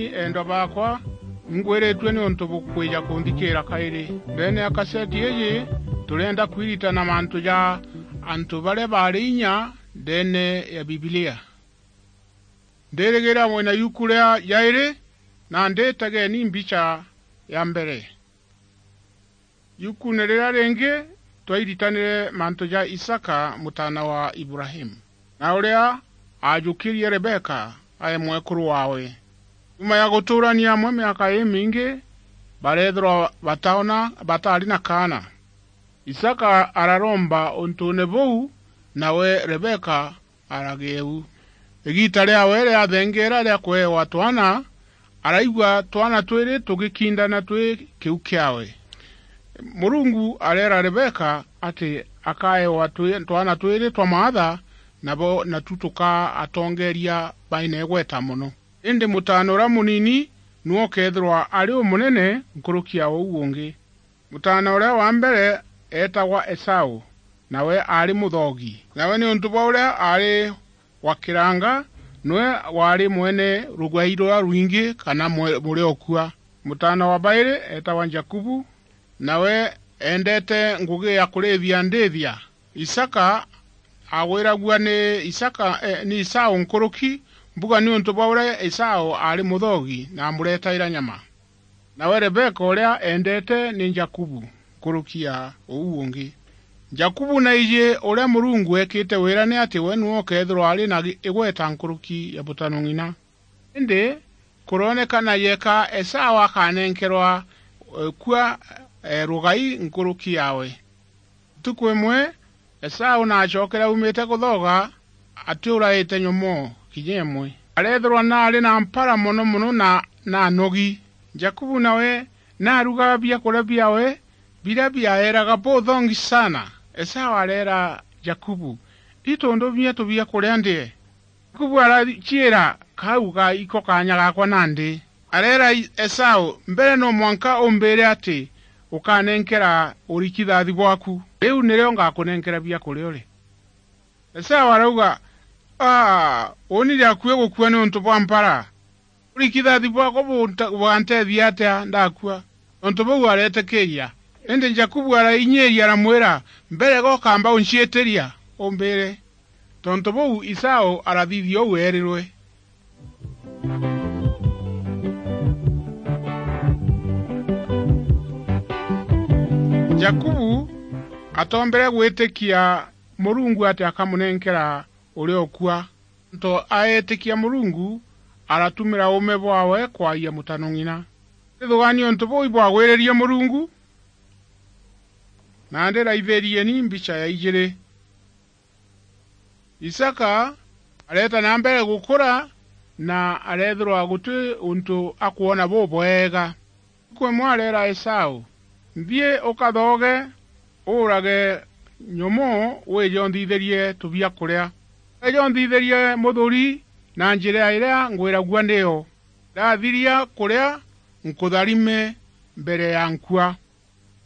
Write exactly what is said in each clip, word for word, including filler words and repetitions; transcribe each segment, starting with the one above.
Endwa baakwa, ingwiritue niuntu bukwija kunthikiira kairi. Ndeene ya kaseti iiji, turienda kwiritana mantu ja antu baria baari inya ndeene ya Bibilia. Ndirigira mwina yuku ria jairi, na nditegeni mbicha ya mbere. Yukuune riria ringi, twairitanire mantu ja Isaka, mutaana wa Ibrahimu, na uria aajukirie Rebeka ae mwekuru waawe. Nyuma ya gutuurania amwe miaka imingi, bareethirwa bataona, bataari na kaana. Isaka araromba untuune buu, nawe Rebeka aragia u. Igiita riaawe riathengeera ria kuewa twana, araigua twana twiri tugikindana twi kiu kiaawe. Murungu areera Rebeka ati akaewa twi-, twana twiri twa maatha, nabo natu tukaa atongeeria baina igweta mono. Indi mutaana uria munini niwe ukeethirwa ari umunene nkuruki ya uu ungi. Mutaana uria wa mbere eetagwa Esau, nawe aari muthoogi. Nawe niuntu bwa uria aari wa kiranga, niwe waari mwene rugai ruria rwingi kana mwe-, muria ukua. Mutaana wa bairi eetagwa Jakubu, nawe eendete ngugi ya kuriithia ndiithia. Isaka agwiragua ni Isaka, eh, ni Esau nkuruki mbuga niuntu bwa uria Esau aari muthoogi na amuretaira nyama. Nawe Rebeka uria eendete ni Jakubu nkuruki ya uu ungi. Jakubu naiji uria Murungu eekite wira ni ati we niwe ukeethirwa ari na gi-, igweta nkuruki ya mutano ng'ina. Indi kuroonekana yeka Esau akanenkerwa, eh, kua, eh, rugai nkuruki yaawe. Ntuku imwe, Esau naacokere aumite kuthooga, atiuraite nyomoo kinya imwe. Areethirwa naari na mpara mono mono na, na anogi. Jakubu nawe naarugaga biakuria biaawe biria biaeraga buthongi sana. Esau areera Jakubu, "Itu ndumia tubiakuria ndie." Jakubu araciira, "Kau ga iko kaanya gaakwa nandi." Areera I-, Esau, "Mbere no mwanka umbiire ati ukanenkera urikithathi bwaku. Riu nirio ngakunenkera biakuria urie." Esau arauga, "Aa, uuni riakui gukua niuntu bwa mpara. Urikithathi bwaakwa bunta-, buganteethia atia ndakua?" Tontu buu areetikiiria. Indi Jakubu arainyiiria, aramwira, "Mbere ga ukamba unciitiria, umbiire." Tontu buu Esau arathithia uu eerirwe. Jakubu atoombere gwitikia Murungu ati akamunenkera uria ukua. Nto aetikia Murungu, aratumira uume bwaawe kwaayia mutano ng'ina. Rithugaani untu buu ibwagwiririe Murungu, na ndiraithirieni mbicha ya ijiri. Isaka areeta na mbere gukura, na areethirwa guti untu akwona bubwega. Ntuku imwe areera Esau, "Nthii ukathooge, uurage nyomoo, wije unthithirie tubiakuria. Wije unthithirie muthuri na njira iria ngwiragua niyo. Ndathiria kuria, nkutharime mbere ya nkua."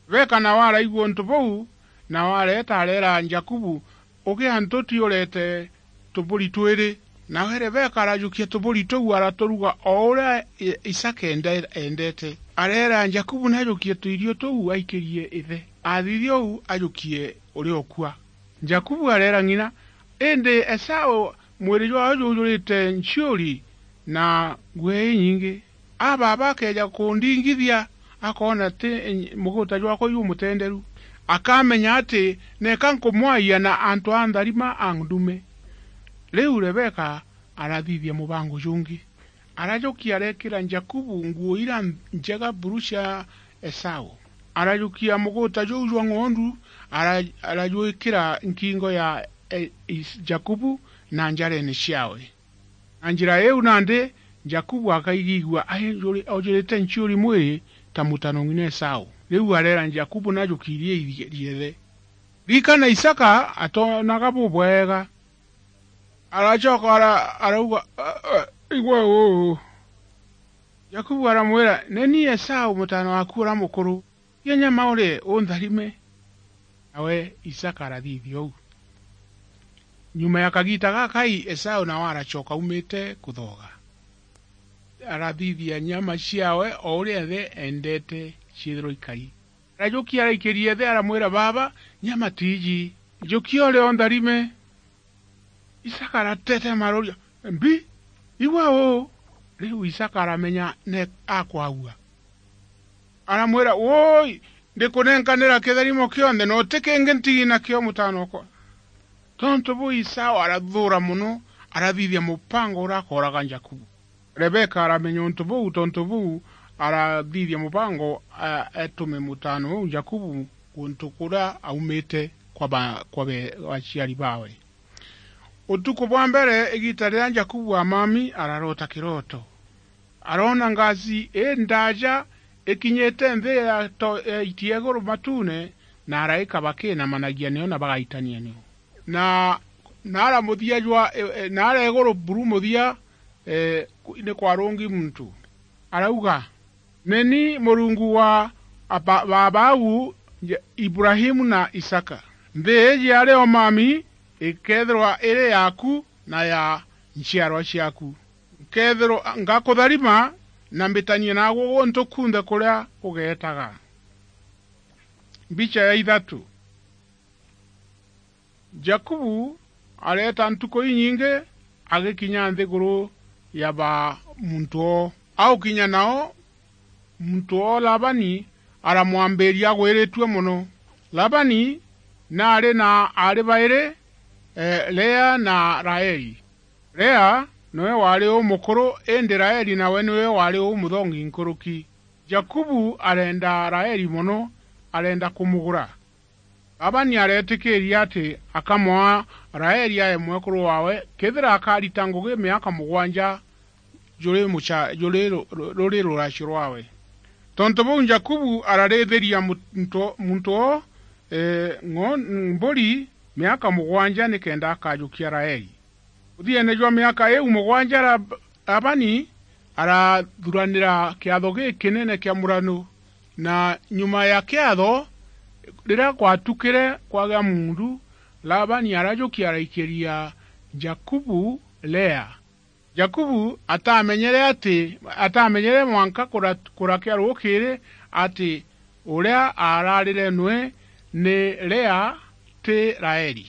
Rebeka nawe araigua untu buu, nawe areeta areera Jakubu, "Ugia ntuti ureete tuburi twiri." Nawe Rebeka arajukia tuburi tuu araturuga o uria I-, Isaka ende-, eendete. Areera Jakubu najukie tuirio tuu aikirie ithe. Athithia uu ajukie uria ukua. Jakubu areera ng'ina, indi Esau mwiri jwaawe jujurite nciuri na nguo inyingi. A baaba akeeja kundingithia, akoona ti muguta jwakwa jumutenderu, akamenya ati neka nkumwaayia na antu a ntharima a ndume. Riu Rebeka arathithia mubango jungi. Arajukia areekira Jakubu nguo ira njega buru cia Esau. Arajukia muguta juu jwa ng'ondu, ara-, arajwikira nkingo ya, e, Is-, Jakubu na njareene ciawe. Na njira iu nandi Jakubu akaigigua aijuri-, ojurite nciuri mwiri ta mutano ng'ina Esau. Riu areera Jakubu najukirie iri-, riethe. Ririkana Isaka atoonaga bubwega. Aracoka ara-, arauga, "A, a, igwe uu." Jakubu aramwira, "Ni ni Esau, mutaana waaku uria mukuru. Tia nyama urie, untharime." Nawe Isaka arathithia uu. Nyuma ya kagiita gakai, Esau nawe aracoka aumite kuthooga. arathithia nyama ciawe o uria ithe endete ciithirwa ikari. Arajukia araikiria ithe, aramwira, "Baaba, nyama tiiji. Jukia urie o ntharime." Isaka aratetema aroria, "Mbi, igwe uu?" Riu Isaka aramenya ne akwagua. Aramwira, "Woi, ndikunenkanira kitharimo kionthe, na uti kingi ntigi nakio, mutaana okwa." Tontu buu Isau arathuura mono, arathithia mupango uria akooraga Jakubu. Rebeka aramenya untu buu, tontu buu arathithia mupango, a-, atume mutaana uu Jakubu guntu kuria aumite kwa ba-, kwa be-, aciari baawe. Utuku bwa mbere, igiita riria Jakubu amami, araroota kirooto. Aroona ngaci indaaja ikinyite nthi ya to-, ya itia iguru matuune, na araika bakiinamanagia nio na bagaitania nio. Na, na ara muthia jwa, e, e, na ara iguru buru muthia, e, ku-, ni kwarungi muntu. Arauga, "Ni ni Murungu wa aba-, baabau, Ja-, Ibrahimu na Isaka. Nthi iji ari o mami ikeethirwa iri yaaku na ya nchiarwa ciaaku. Nkeethirwa, ngakutharima na mbitanie naagwe guntu kunthe kuria ugeetaga." Mbicha ya ithatu. Jakubu areeta ntuku inyingi agikinya nthiguru ya ba muntu oo. Aukinya nao, muntu oo Labani aramwambiiria agwiritue mono. Labani naari na aari bairi, e, Lea na Raeli. Lea niwe waari umukuru, indi Raeli nawe niwe waari umuthongi nkuruki. Jakubu areenda Raeli mono, areenda kumugura. Labani areetikiiria ati akamwaa Raeli ae mwekuru waawe, kethira akarita ngugi miaka mugwanja juri mucha-, juri ru-, ru-, ruri ruracio rwaawe. Tontu buu, Jakubu ararithiria muntu, muntu oo, e, ng'o-, mburi miaka mugwanja nikenda akajukia Raeli. Muthiene jwa miaka iu mugwanja, Lab-, Labani arathuranira kiatho gikinene kia murano, na nyuma ya kiatho, riria gwatukire kwagia muundu, Labani arajukia araikiria Jakubu Lea. Jakubu atamenyere ati, atamenyere mwanka kura-, kurakia rukiri ati uria aararire nwe ni Lea, ti Raeli.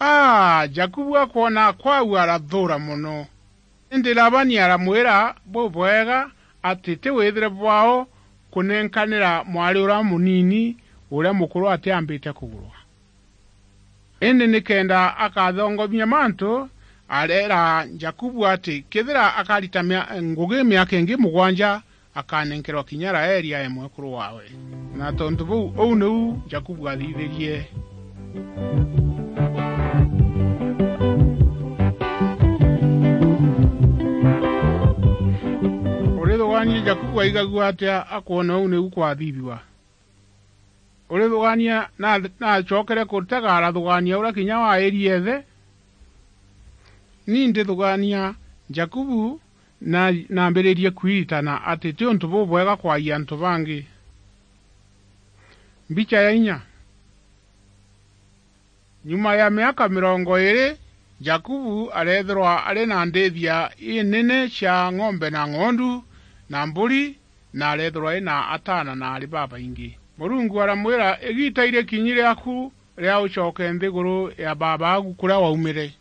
Aa, Jakubu akwona kwau arathuura mono. Indi Labani aramwira bubwega ati ti withire bwao kunenkanira mwari uria munini uria mukuru atiambite kugurwa. Indi nikenda akathongomia mantu, areera Jakubu ati kethira akarita mia-, ngugi miaka ingi mugwanja, akanenkerwa kinya Raeli ae mwekuru waawe. Na tontu buu, uu niu Jakubu aathithirie. Urithugaania Jakubu aigagua atia akwona uu niu kwathithua? Urithugaania na, naacokere kutega, arathugaania uria kinya wairirie ithe. Ni ndithugaania Jakubu na, naambiririe kwiritana ati ti untu bubwega kwagia antu bangi. Mbicha ya inya. Nyuma ya miaka mirongo iiri, Jakubu areethirwa ari na ndiithia inene cia ng'ombe na ng'ondu na mburi, na areethirwa ari na ataana na aari babaingi. Murungu aramwira, "Igiita irikinyi riaku ria ucoke nthiguru ya baabaagu kuria waumire."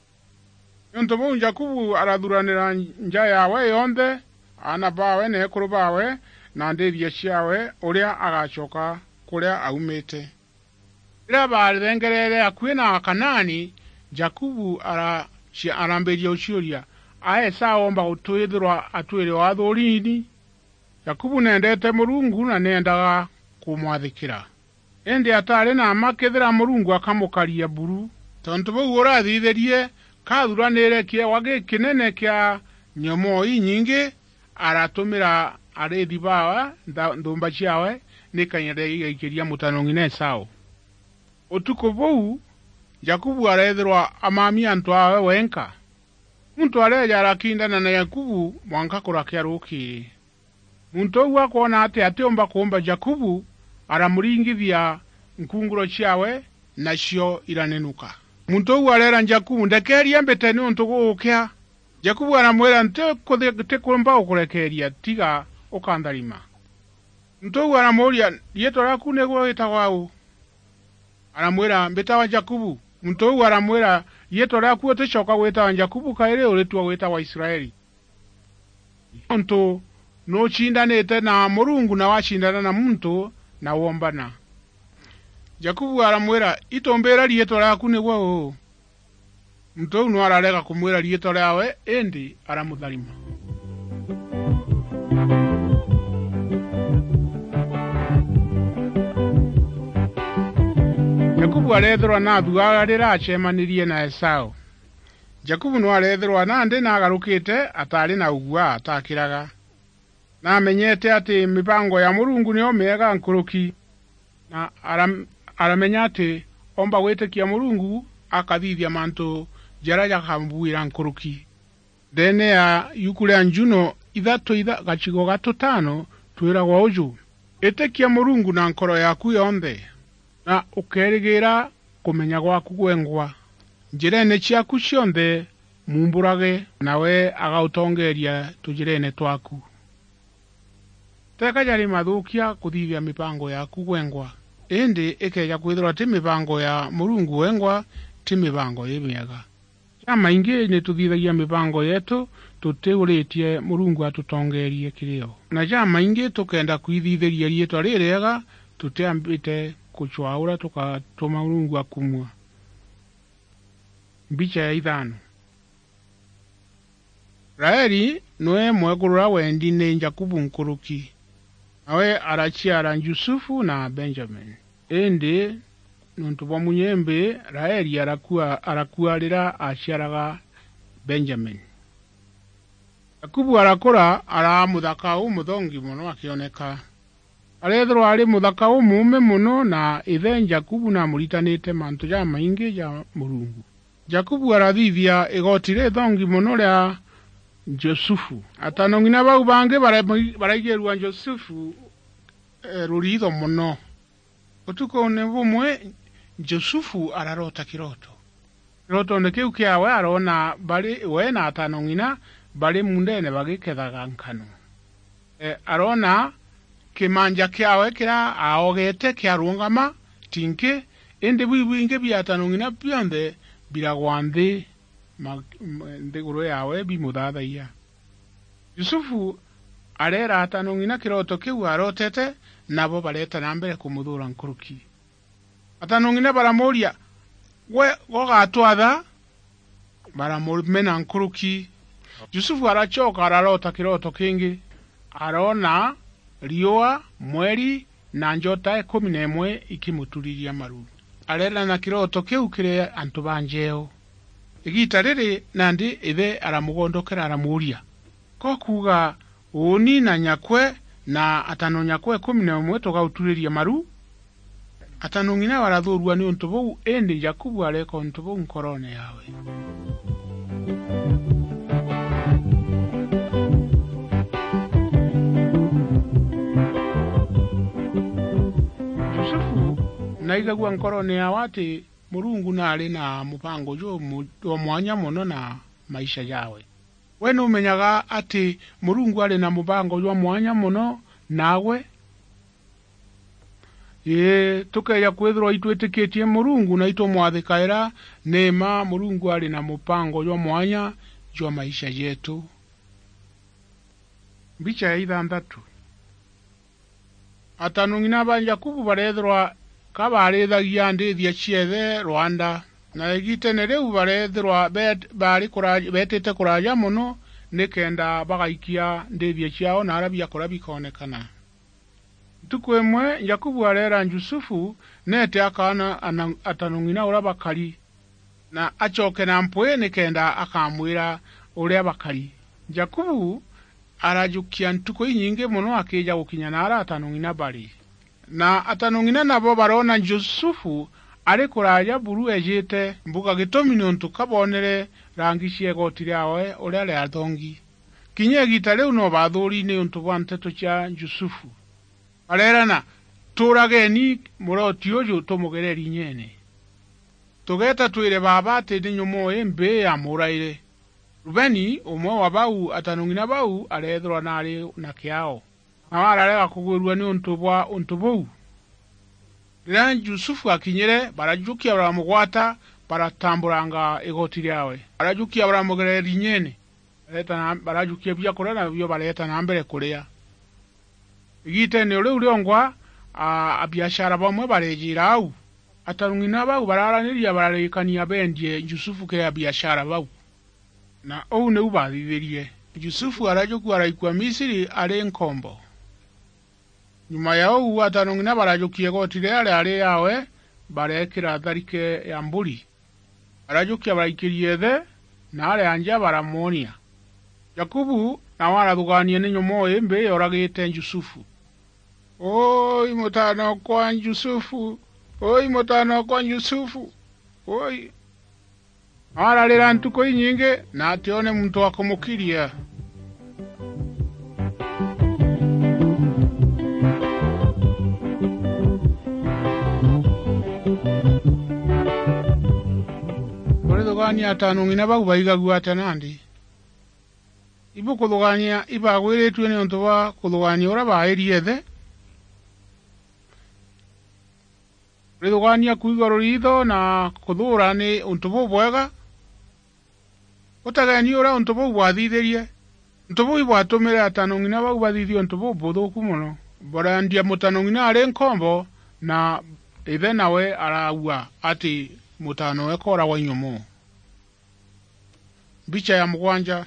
Niuntu buu, Jakubu arathuranira nja yaawe yonthe, aana baawe na ekuru baawe, na ndiithia ciaawe, uria agacoka kuria aumite. Riria baathengereere akui na Akanaani, Jakubu ara-, cia-, arambiria guciuria, "A Esau oomba gutwithirwa atwire o athuuriini?" Jakubu neendeete Murungu na neendaga kumwathikira. Indi ataari na mma kethira Murungu akamukaria buru. Tontu buu urathithirie, kaathuranire kiewa gikinene kia nyomoo inyingi, aratumira ariithi baawe ntha-, nthumba ciaawe, ni kanya igaikiria mutano ng'ina Esau. Utuku buu, Jakubu areethirwa amamia antu aawe wenka. Muntu areeja arakindana na Jakubu mwanka kurakia rukiiri. Muntu uu akwona ati atiumba kuumba Jakubu, aramuringithia nkunguro ciaawe, nacio iranenuka. Muntu uu areera Jakubu, "Ndekeeria mbite niuntu gugukia." Jakubu aramwira, "Nti kuthi-, ntikumba gukurekeeria, tiga ukantharima." Muntu uu aramuuria, "Riitwa riaaku nigwe witagwa uu?" Aramwira, "Mbitagwa Jakubu." Muntu uu aramwira, "Riitwa riaaku uticoka gwitagwa Jakubu kairi, uritua gwitagwa Israeli. Nontu nucindanite na Murungu na wacindana na muntu na wombana." Jakubu aramwira, "Itumbira riitwa riaaku nigwe uu?" Muntu uu no ararega kumwira riitwa riaawe, indi aramutharima. Jakubu areethirwa naathuaga riria acemanirie na Esau. Jakubu no areethirwa nandi naagarukite, ataari na uguaa, atakiraga. Naamenyete ati mibango ya Murungu niyo miega nkuruki, na aram-, aramenya ati oomba gwitikia Murungu akathithia mantu jaria jakambuira nkuruki. Ndeene ya iuku ria Njuno ithatu itha-, gacigo ga tutano, twiragwa uju, "Itikia Murungu na nkoro yaaku yonthe, na ukeerigiira kumenya gwaaku gwengwa. Njireene ciaaku cionthe muumburaage, nawe agautongeeria tujireene twaaku." Teeka jari mathuukia kuthithia mibango yaaku gwengwa, indi ikeeja kwithirwa ti mibango ya Murungu wengwa, ti mibango imiega. Jamaingi ni tuthithagia mibango yeetu tutiuritie Murungu atutongeerie kiri yo. Na jamaingi tukenda kwithithiria riitwa ririega, tutiambite kucwaa uria tukatuma Murungu akumua. Mbicha ya ithano. Raeli niwe mwekuru uria wendi ni Jakubu nkuruki, nawe araciara Jusufu na Benjamini. Indi niuntu bwa munyembi, Raeli arakua, arakua riria aciaraga Benjamini. Jakubu arakura, araa muthaka umuthongi mono akioneka. Areethirwa ari muthaka umuume mono, na ithe Jakubu namuritanite mantu jamaingi ja Murungu. Jakubu arathithia igoti rithongi mono ria Jusufu. Atano ng'ina bau bangi bara-, baraigirua Jusufu, eh, ruriitho mono. Utukune bumwe, Jusufu araroota kiroto. Kirotoone kiu kiaawe aroona bari we na atano ng'ina bari muundeene bagikethaga nkano. E, aroona kimanja kiaawe kiria aaogete kiarungama, ti nki, indi biu bingi bia atano ng'ina bionthe biragwa nthi ma-, m-, nthiguru yaawe bimuthathayia. Yusufu areera atano ng'ina kiroto kiu arootete, nabo bareeta na mbere kumuthuura nkuruki. Atano ng'ina baramuuria, "Gwe gogatwatha?" Baramumena nkuruki. Yusufu aracoka araroota kiroto kingi. Aroona riua, mweri, na njota ikumi na imwe ikimuturiria maru. Areerana kiroto kiu kiri antu ba njeeo. Igiita riri nandi ithe aramugondokera aramuuria, "Ko kuuga uuni na nyakwe na atano nyakwe ikumi na umwe tugauturiria maru?" Atano ng'ina barathuurua niuntu buu, indi Jakubu areeka untu buu nkoroone yaawe. Yusufu naigagua nkoroone yaawe ati Murungu naari na mubango jumu-, jwa mwanya mono na maisha jaawe. We numenyaga ati Murungu ari na mubango jwa mwanya mono naagwe? Ii, tukeeja kwithirwa itwitikitie Murungu na itumwathikaira, ni mma Murungu ari na mubango jwa mwanya jwa maisha jeetu. Mbicha ya ithanthatu. Atano ng'ina ba Jakubu bareethirwa ka baarithagia ndiithia cia ithe rwanda, na igiiteene riu bareethirwa beet-, baari kura-, beetite kuraaja mono, nikenda bagaikia ndiithia ciaao naara biakuria bikoonekana. Ntuku imwe Jakubu areera Yusufu neete akaona ana-, atano ng'ina uria bakari, na acoke na mpwi nikenda akamwira uria bakari. Jakubu arajukia ntuku inyingi mono akiija gukinya naara atano ng'ina bari. Na atano ng'ina nabo baroona Yusufu ari kuraaja buru eejite mbuga, gitumi niuntu ka boonere rangi cia igooti riaawe uria riathongi. Kinya igiita riu no bathuuri niuntu bwa nteto cia Yusufu. Bareerana, "Tuurageni murooti uju tumugerere inyeene. Tugeeta twire baaba ati ni nyomoo imbii yamuuraire." Rubeni, umwe wa bau atanong'ina bau, areethirwa naari na kiao, nawe ararega kugwirua niuntu bwa untu buu. Riria Jusufu akinyire, barajukia baramugwata, baratamburanga igoti riawe. Barajukia baramugereria inyene, bareeta na, barajukia biakuria nabio bareeta na mbere kuria. Igitene o riu riongwa, a, abiashara bamwe bareejira au. Atarung'ina bau bararaniria bararikania beendie Jusufu kiri abiashara bau, na uu niu baathithirie. Jusufu arajukua araikua Misiri ari nkombo. Nyuma ya uu, atarung'ina barajukia igoti riria riari yaawe, bareekira tharike ya mburi. Barajukia baraikiria ithe, na aria nja baramwonia. Jakubu nawe arathugaania ni nyomoo imbi yoragite Jusufu. "Oi, mutaana okwa Jusufu! Oi, mutaana okwa Jusufu! Oi!" Nawe ararira ntuku inyingi, na atione muntu wa kumukiria. Urithugaania atanong'ina bau baigagua atia nandi? Ibukuthugaania ibagwiritue niuntu bwa kuthugaania uria baairie ithe? Urithugaania kwigua ruriitho na kuthuura ni untu bubwega? Utegeni uria untu buu bwathithirie. Untu buu ibwatumire atanong'ina bau bathithia untu bubuthuuku mono. Barendia mutanong'ina ari nkombo, na ithe nawe araua ati mutaana owe kooragwa i nyomoo. Mbicha ya mugwanja.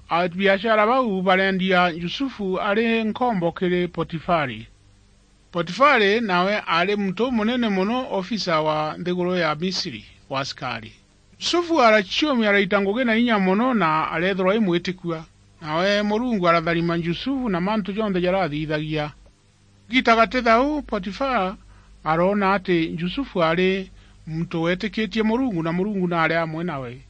Abiashara bau barendia Jusufu ari nkombo kiri Potifari. Potifari nawe aari muntu umunene mono, ofisa wa nthiguru ya Misiri wa asikari. Jusufu araciumia, araita ngugi na inya mono, na areethirwa imwitikua. Nawe Murungu aratharima Jusufu na mantu jonthe jarathithagia. Giita gati thau, Potifari aroona ati Jusufu aari muntu weetikitie Murungu, na Murungu naari amwe nawe.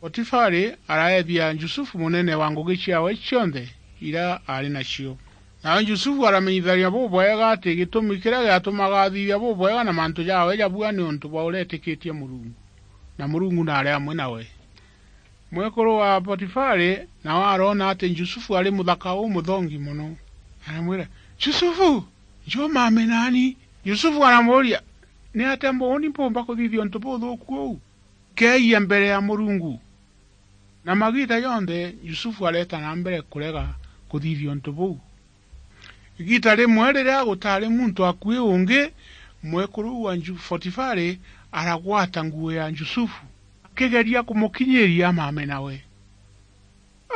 Potifari araethia Jusufu munene wa ngugi ciawe cionthe iria aari nacio. Nawe Jusufu aramenyithania bubwega ati gitumi kiria giatumaga athithia bubwega na mantu jawe jabua ni untu bwa uria eetikitie Murungu, na Murungu naari amwe nawe. Mwekuru wa Potifari nawe aroona ati Jusufu ari muthaka umuthongi mono. Aramwira, "Jusufu, njoo maame naani." Jusufu aramuuria, "Ni atia mboni mpumba kuthithia untu buthuuku uu? Keeyia mbere ya Murungu." Na magiita jonthe, Jusufu areeta na mbere kurega kuthithia untu buu. Igiita rimwe riria gutaari muntu akui ungi, mwekuru uu wa Ju-, Potifari aragwata nguo ya Jusufu, akigeria kumukinyiria maame nawe.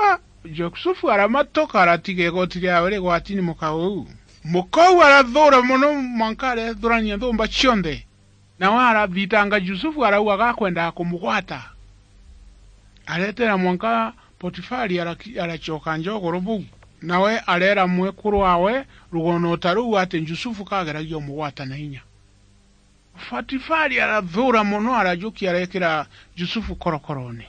Ah, Jusufu aramatuka, aratiga igoti riawe rigwati ni muka uu. Muka uu arathuura mono, mwanka areethurania nthumba cionthe. Nawe arathitanga Jusufu, arauga gakwendaga kumugwata. Areetera mwanka Potifari araki-, aracoka nja ugoro buu. Nawe areera mwekuru waawe rugono ta ruu ati Jusufu kageragia umugwata na inya. Potifari arathuura mono, arajukia areekira Jusufu korokoroone.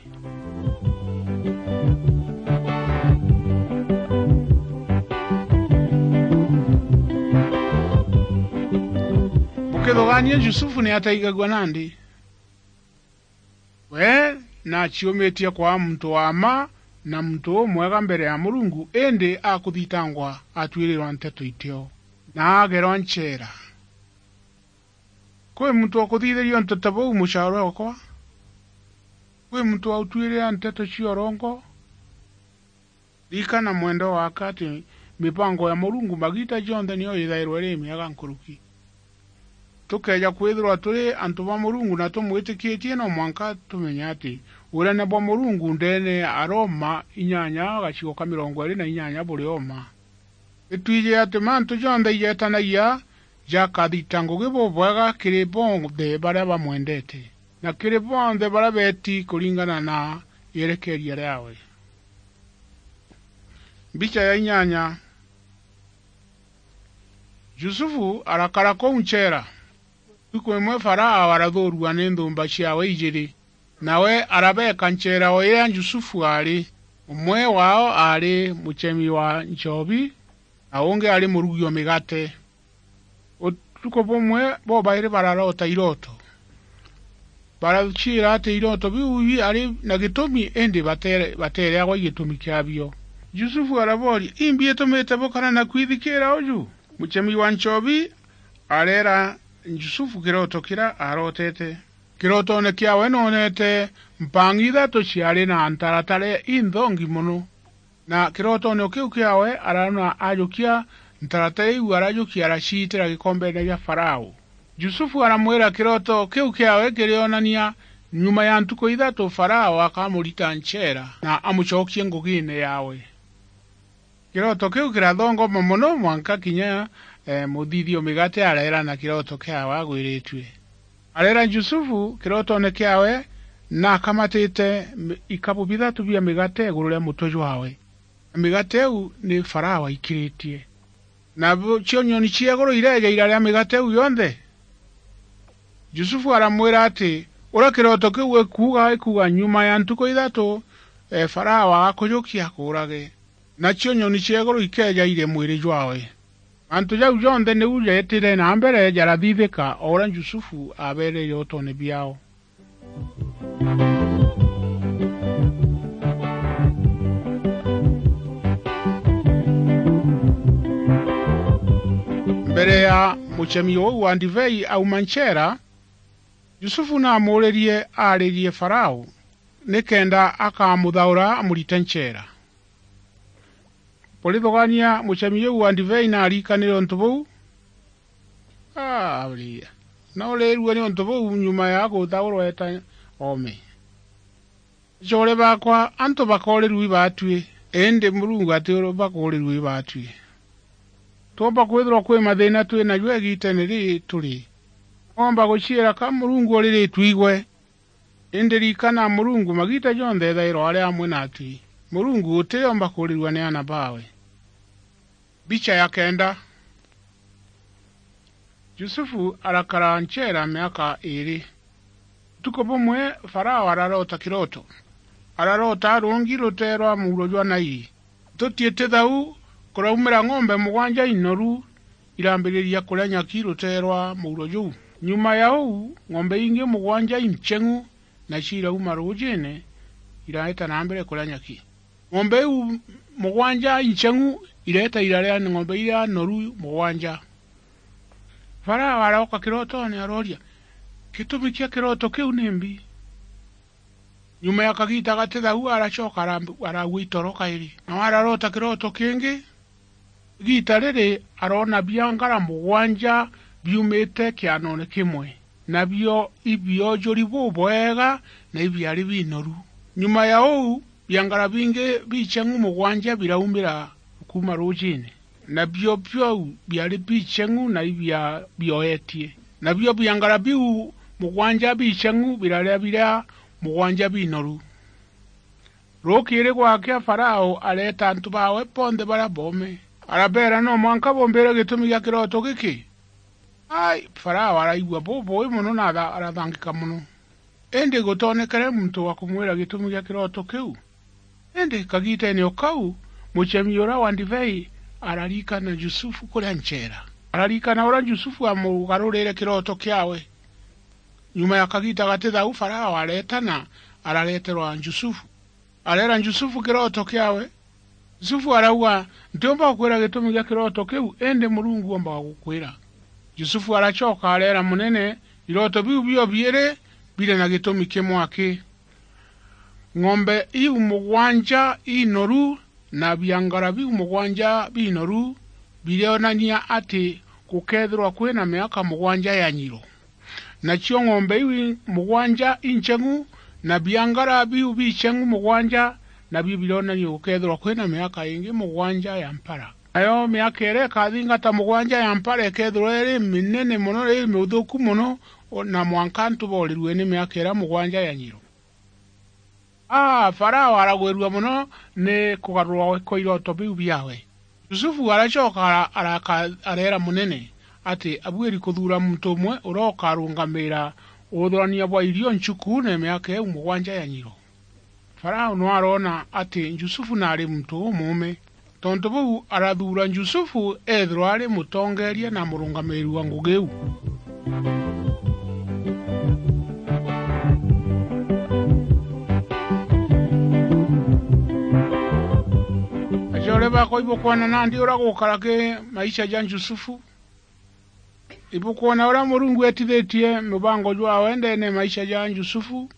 Bukithugaania Jusufu ni ataigagua nandi? We naaciumitie kwaa muntu wa mma na muntu umwega mbere ya Murungu, indi akuthitangwa, atuirirwa nteto itio, na agerwa ncheera. Kwi muntu ukuthithiria untu ta buu, mucaarwa okwa? Kwi muntu wautuirira nteto cia urongo? Ririkana, mwendwa wakwa, ati mipango ya Murungu magiita jonthe niyo ithairwa iri miega nkuruki. Tukeeja kwithirwa turi antu ba Murungu na tumwitikitie, no mwanka tumenye ati unene bwa Murungu ndeene ya Aroma inyanya gacigo ka mirongo iiri na inyanya buri o mma. Itwiji ati mantu jonthe ijetanagia jakathita ngugi bubwega kiri bonthe baria bamwendete, na kiri bonthe baria beeti kuringana na yerekeeria riawe. Mbicha ya inyanya. Jusufu arakara kuu ncheera. Ntuku imwe Farao arathuurua ni nthumba ciawe ijiiri. Nawe arabeeka ncheera o iria Jusufu aari. Umwe waao aari muchemi wa nchobi, na ungi aari murugi o migate. Utuku bumwe, bobairi bararoota irooto. Baraciira ati iroto biu biari na gitumi, indi batere-, batereagwa i gitumi kiabio. Jusufu arabooria, "Imbi itumite bukara na kwithikiira uju?" Muchemi wa nchobi areera Jusufu kiroto kiria arotete. Kirotone kiawe noonete mpang'i ithatu ciari na ntaratara inthongi mono. Na kirotone o kiu kiawe araona ajukia ntaratara iu, arajukia araciitira gikombene gia Farao. Jusufu aramwira kiroto kiu kiawe kirionania nyuma ya ntuku ithatu Farao akamurita ncheera na amucokie ngugiine yaawe. Kiroto kiu kirathongoma mono mwanka kinya, eh, muthithia o migate areera na kiroto kiawe agwiritue. Areera Jusufu kirotone kiawe na akamatite mi-, ikabu bithatu bia migate iguru ria mutwe jwawe. Na migate iu ni Farao aikiritie. Na bu-, cio nyoni cia iguru ireeja iraria migate iu yonthe. Jusufu aramwira ati, "Uria kiroto kiu gikuuga, gikuuga nyuma ya ntuku ithatu, eh, Farao agakujukia akuurage." Nacio nyoni cia iguru ikeeja irie mwiri jwawe. Mantu jau jonthe niu jeetire na mbere jarathithika o uria Jusufu aabeere irotoone biaao. Mbere ya muchemi uu wa ndibei auma ncheera, Jusufu naamuuririe aaririe Farao, nikenda akamuthaura amurite ncheera. Burithugania muchemi uu wa ndibei naarikanire untu buu? Aa, aria. Noorirue ni untu buu nyuma ya guthaurwa eeta oome. Acoore baakwa, antu bakoorirua ibaatui, indi Murungu ati bakoorirua ibaatui. Twomba kwithirwa kwi mathiina twi najo igiiteene riri turi. Twomba guciira ka Murungu uriritue igwe. Indi ririkana, Murungu magiita jonthe ethairwa ari amwe naatui. Murungu utiomba kuurirua ni aana baawe. Mbicha ya kenda. Jusufu arakara ncheera miaka iiri. Utuku bumwe Farao araroota kiroto. Araroota arungi rutere rwa muuro jwa Naili. Tutiiti thau, kuraumira ng'ombe mugwanja inoru irambiriria kuria nyaki rutere rwa muuro juu. Nyuma ya uu, ng'ombe ingi mugwanja incheng'u nacio irauma ruujiine, iraeta na mbere kuria nyaki. Ng'ombe iu mugwanja incheng'u ireeta iraria ng'ombe iria noru mugwanja. Farao arooka kirotoone arooria, "Gitumi kia kiroto kiu nimbi?" Nyuma ya kagiita gati thau aracoka aramb-, araagua itoro kairi. Nao araroota kiroto kingi. Igiita riri aroona biangara mugwanja biumite kianoone kimwe, nabio ibiojuri bubwega na ibiari binoru. Nyuma ya uu, biangara bingi bicheng'u mugwanja biraumira kuuma ruujiine. Nabio biu biari bicheng'u na ibia bioetie. Nabio biangara biu mugwanja bicheng'u biraria biria mugwanja binoru. Rukiiri gwakea Farao areeta antu baawe bonthe baria boome. Arabeera, "No mwanka bumbire gitumi gia kiroto giki." Ai, Farao araigua bubui mono na ara-, arathangika mono. Indi gutoonekere muntu wa kumwira gitumi gia kiroto kiu. Indi kagiiteene o kau, muchemi uria wa ndibei ararikana Jusufu kuria ncheera. Ararikana uria Jusufu amugarurire kiroto kiawe. Nyuma ya kagiita gati thau, Farao areetana, arareterwa Jusufu. Areera Jusufu kiroto kiawe. Jusufu arauga, "Ntiumba gukwira gitumi gia kiroto kiu, indi Murungu oombaga gukwira." Jusufu aracoka areera munene, "Iroto biu bio biiri biri na gitumi kimwe aki. Ng'ombe iu mugwanja inoru na biangara biu mugwanja binoru birionania ati gukeethirwa kwina miaka mugwanja ya nyiro. Nacio ng'ombe iu i-, mugwanja incheng'u, na biangara biu bicheng'u mugwanja, nabio bironania gukeethirwa kwina miaka ingi mugwanja ya mpara. Nayo miaka iria ikathingata mugwanja ya mpara ikeethirwa iri minene mono, iri miuthuku mono, o-, na mwanka antu boorirue ni miaka iria mugwanja ya nyiro." Aa, Farao aragwirua mono ni kugarurwa kwa iroto biu biawe. Jusufu aracoka ara-, araka-, areera munene ati abuiri kuthuura muntu umwe uria ukarungamiira uthurania bwa irio nchukuune miaka iu mugwanja ya nyiro. Farao no aroona ati Jusufu naari muntu umuume. Tontu buu, arathuura Jusufu eethirwa ari mutongeeria na murungamiiri wa ngugi iu. Akwa ibukwona nandi uria gukara ki maisha ja Jusufu? Ibukwona uria Murungu etithitie mubango jwawe ndeene maisha ja Jusufu?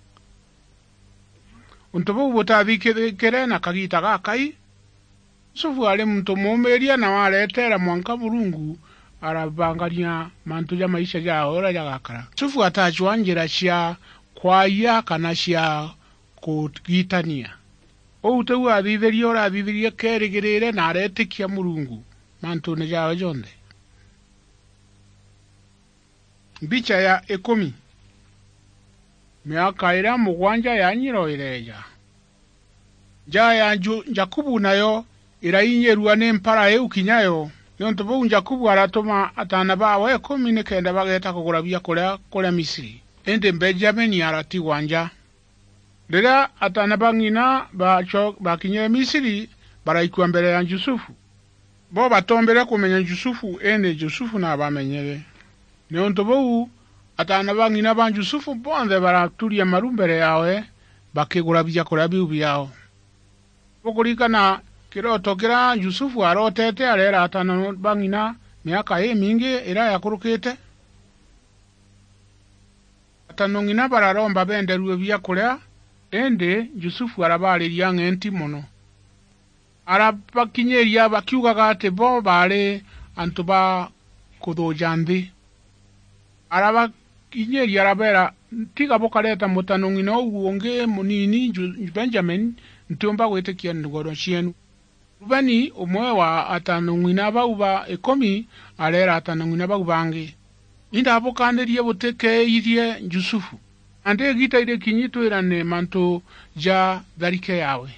Untu buu butathikikire na kagiita gakai. Yusufu aari muntu muumiiria na wareteera mwanka Murungu arabangania mantu ja maisha jaawe uria jagakara. Yusufu atacwaa njira cia kwaia kana cia kugitania. Uu tiu athithirie, urathithirie keerigirire na areetikia Murungu mantuune jaawe jonthe. Mbicha ya ikumi. Miaka iria mugwanja ya nyiro ireeja. Njaa ya Ju-, Jakubu nayo irainyirua ni mpara iu kinya yo. Niuntu buu Jakubu aratuma ataana baawe ikumi nikenda bageeta kugura biakuria kuria Misiri. Indi Benjamini aratigwa nja. Riria ataana ba ng'ina baco-, bakinyire Misiri, baraikua mbere ya Jusufu. Bo batoombire kumenya Jusufu, indi Jusufu naabamenyere. Niuntu buu, ataana ba ng'ina ba Jusufu bonthe baraturia maru mbere yaawe, bakigura biakuria biu biaao. Bukuririkana kiroto kiria Jusufu aroteete areera ataana ba ng'ina miaka imingi iria yakurukite? Ataana ng'ina bararomba benderue biakuria, indi Jusufu arabaariria ang'enti mono. Arabakinyiria bakiugaga ati bo baari antu ba kuthuuja nthi. Arabakinyiria arabeera, "Tiga bukareeta mutano ng'ina uu ungi munini Ju-, Benjamin, ntiumba gwitikia ngono cieenu." Rubeni, umwe wa atano ng'ina bau ba ikumi, areera atano ng'ina bau bangi, "Indabukaanirie butikeeithie Jusufu, nandi igiita irikinyi twirane mantu ja tharike yaawe."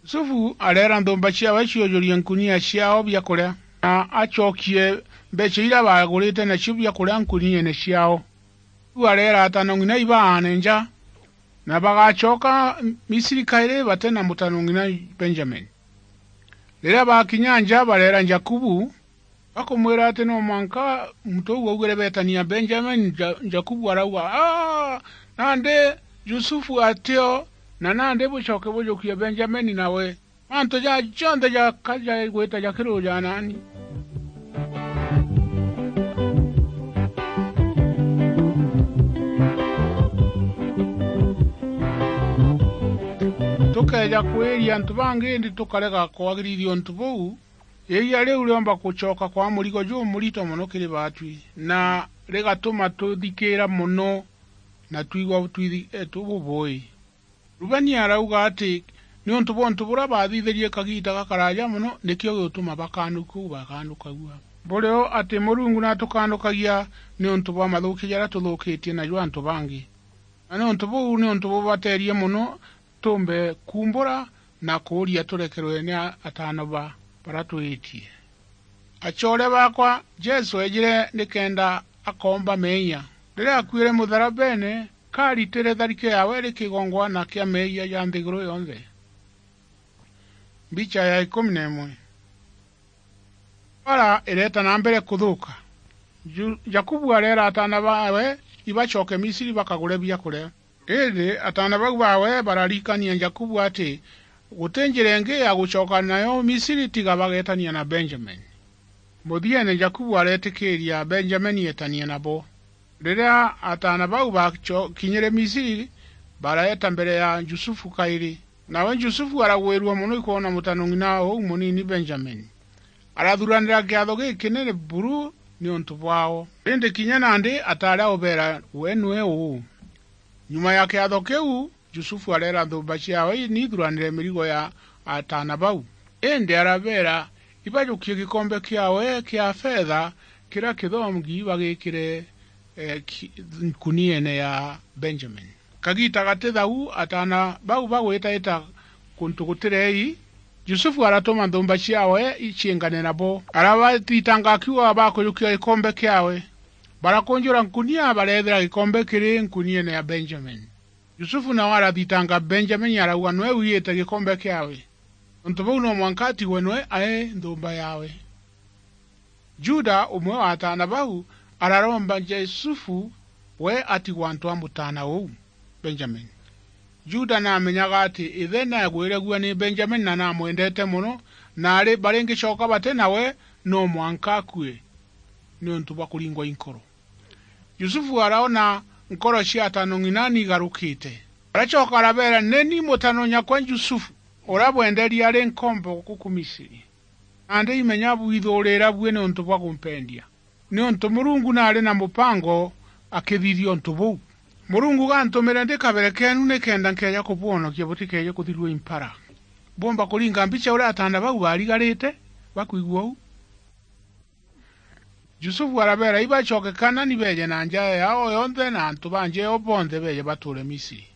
Yusufu areera nthumba ciaawe ciujurie nkunia ciaao biakuria, na acokie mbeecha iria baagurite nacio biakuria nkuniene ciaao. Riu areera atano ng'ina ibaane nja, na bagacoka Misiri kairi bate na mutano ng'ina Benjamin. Riria baakinya nja, bareera Jakubu, bakumwira ati no mwanka muntu uu augire beetania Benjamin. Ja-, Jakubu arauga, "Aa! Nandi Jusufu atio, na nandi bucoke bujukie Benjamin nawe." Mantu ja jonthe jaka jagwita jakiruja naani. Tukeeja kwiria antu bangi, indi tukarega kwagirithia untu buu, iria riu riomba gucoka kwa murigo jumurito mono kiri baatwi, na rigatuma tuthikiira mono na twigua twithi-, tububui. Rubeni arauga ati niuntu bwa untu buria baathithirie kagiita gakaraaja mono, nikio gigutuma bakanuka uu bakanukagua. Buri o ati Murungu natukanukagia niuntu bwa mathuuki jaria tuthuukitie najo antu bangi. Na niuntu buu niuntu bubateerie mono tuumbe kuumbura na kuuria turekerwe ni a-, ataano ba baria twiitie. Acoore baakwa, Jesu eejire nikenda akoomba meeyia. Riria akuire mutharabeene, kaaritire tharike yaawe iri kigongwana kia meeyia ja nthiguru yonthe. Mbicha ya ikumi na imwe. Mbara ireeta na mbere kuthuuka. Ju-, Jakubu areera ataana baawe ibacoke Misiri bakagure biakuria. Indi ataana bau baawe bararirikania Jakubu ati guti njira ingi ya gucoka nayo Misiri tiga bageetania na Benjamin. Muthiene Jakubu areetikiiria Benjamin eetanie nabo. Riria ataana bau bakinyire Misiri, bareeta mbere ya Jusufu kairi. Nawe Jusufu aragwirua mono ikwona mutano ng'ina uu munini Benjamin. Arathuranira kiatho gikinene buru niuntu bwao. Indi kinya nandi ataari aubeera we nwe uu. Nyuma ya kiatho kiu, Jusufu areera nthumba ciaawe niithuranire mirigo ya ataana bau. Indi arabeera ibajukie gikombe kiaawe kia fetha kiria kithongi bagikire, eh, ki-, nkuniene ya Benjamin. Kagiita gati thau, ataana bau bagwitaita kuntu guti rei, Jusufu aratuma nthumba ciaawe iciingane nabo. Arabathitanga akiugaga bakujukia gikombe kiaawe. Barakunjura nkunia, bareethira gikombe kiri nkuniene ya Benjamin. Jusufu nawe arathitanga Benjamin, arauga nwe wiite gikombe kiaawe. Untu buu no mwanka atigwe nwe ae nthumba yaawe. Juda, umwe wa ataana bau, araromba Jusufu we atigwa antu a mutaana uu, Benjamin. Juda naamenyaga ati ithe naagwiragua ni Benjamin na naamwendete mono, naari baringicoka bati nawe, no mwanka akue niuntu bwa kuringwa i nkoro. Yusufu araona nkoro cia atanong'ina niigarukite. Aracoka arabeera, "Ni ni mutano nyakwa Yusufu, uria bwenderie ari nkombo guku Misiri. Nandi imenya bwithuurira bui niuntu bwa kumpendia, niuntu Murungu naari na mupango akithithia untu buu. Murungu gantumire ndi kabere keenu nikenda nkeeja kubwonokia butikeeje kuthirua i mpara." Bwomba kuringa mbicha uria ataana bau baarigarite bakwigua uu? Yusufu arabeera, "Ibacoke Kanaani beeje na njae yaao yonthe na antu ba nja eeo bonthe beeje batuure Misiri.